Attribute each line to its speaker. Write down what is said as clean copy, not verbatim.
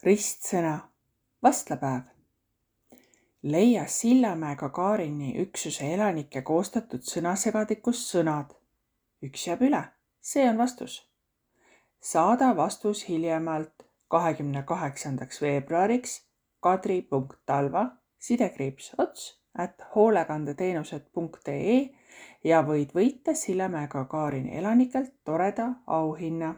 Speaker 1: Ristsõna, vastlapäev. Leia Sillamäe Gagarini üksuse elanike koostatud sõnasegadikust sõnad. Üks jääb üle, see on vastus. Saada vastus hiljemalt 28. veebruariks kadri.talva @hoolekandeteenused.ee ja võid võita Sillamäe Gagarini elanikelt toreda auhinna.